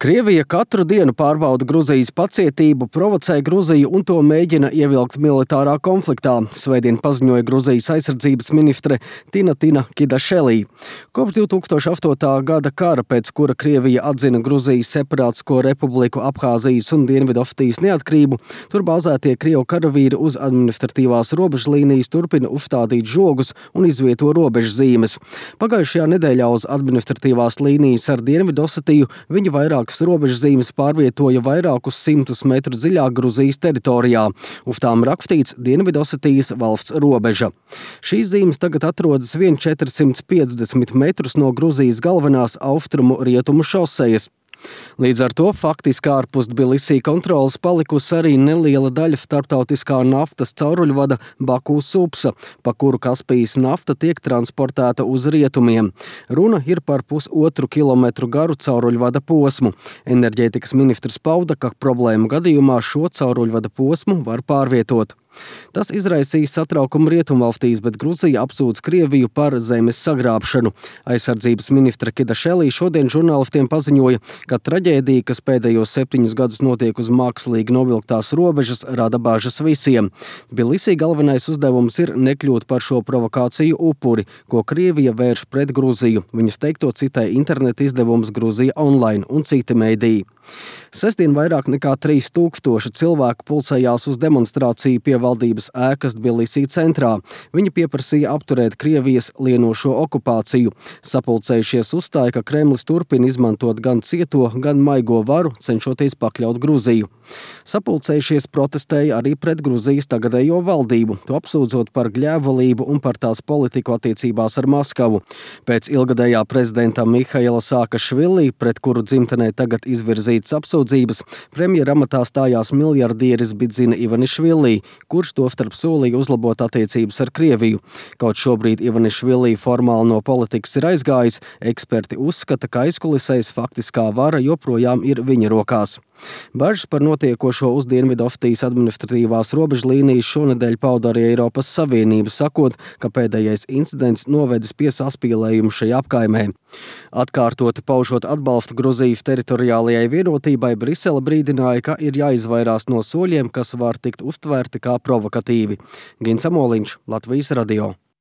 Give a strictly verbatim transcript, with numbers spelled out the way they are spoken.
Krievija katru dienu pārbauda Gruzijas pacietību, provocē Gruziju un to mēģina ievilkt militārā konfliktā, svētdien paziņoja Gruzijas aizsardzības ministre Tina Kidašelī. Kopš divi tūkstoši astotā gada kara, pēc kura Krievija atzina Gruzijas separātisko republiku Abhāzijas un Dienvidosetijas neatkarību, tur bāzētie Krievu karavīri uz administratīvās robežlīnijas turpina uzstādīt žogus un izvieto robežzīmes. Pagājušajā nedēļā uz administratīvās līnijas ar Dienvidosetiju viņi vairāk robežzīmes pārvietoja vairākus simtus metru dziļāk Gruzijas teritorijā. Uz tām rakstīts Dienvidosetijas valsts robeža. Šīs zīmes tagad atrodas vien četrsimt piecdesmit metrus no Gruzijas galvenās austrumu rietumu šosejas. Līdz ar to faktiski ārpus Tbilisī kontrolas palikusi arī neliela daļa starptautiskā naftas cauruļvada Baku-Supsa, pa kuru Kaspijas nafta tiek transportēta uz rietumiem. Runa ir par pusotru kilometru garu cauruļvada posmu. Enerģētikas ministrs pauda, ka problēmu gadījumā šo cauruļvada posmu var pārvietot. Tas izraisīs satraukumu rietumvalstīs, bet Gruzija apsūdz Krieviju par zemes sagrābšanu. Aizsardzības ministra Kidašelī šodien žurnālistiem paziņoja, ka traģēdija, kas pēdējos septiņus gadus notiek uz mākslīgi novilktās robežas, rada bažas visiem. Tbilisī galvenais uzdevums ir nekļūt par šo provokāciju upuri, ko Krievija vērš pret Gruziju. Viņas teikto citē interneta izdevums Gruzija online un citi mediji. Sestdien vairāk nekā trīs tūkstoši cilvēku pulcējās uz demonstrāciju pie valdības ēkas Tbilisī centrā. Viņi pieprasīja apturēt Krievijas lienošo okupāciju. Sapulcējušies uzstāja, ka Kremlis turpina izmantot gan cieto, gan maigo varu, cenšoties pakļaut Gruziju. Sapulcējušies protestēja arī pret Gruzijas tagadējo valdību, to apsūdzot par gļēvulību un par tās politiku attiecībās ar Maskavu. Pēc ilgadējā prezidenta Mihaila Saakašvili, pret kuru dzimtenē tagad izvirzītas apsūdzības, premjera amatā stājās miljardieris Bidzina Ivanišvili, kurš tostarp solīja uzlabot attiecības ar Krieviju. Kaut šobrīd Ivanišvili formāli no politikas ir aizgājis, eksperti uzskata, ka aizkulisēs faktiskā vara joprojām ir viņa rokās. Bažas par notiekošo uz Dienvidosetijas administratīvās robežlīnijas šonedēļ pauda arī Eiropas Savienība, sakot, ka pēdējais incidents novedis pie saspīlējuma šajā apkaimē. Atkārtoti paužot atbalstu Gruzijas teritoriālajai vienotībai, Brisele brīdināja, ka ir jāizvairās no soļiem, kas var tikt uztvērti kā provokatīvi. Gins Amoliņš, Latvijas radio.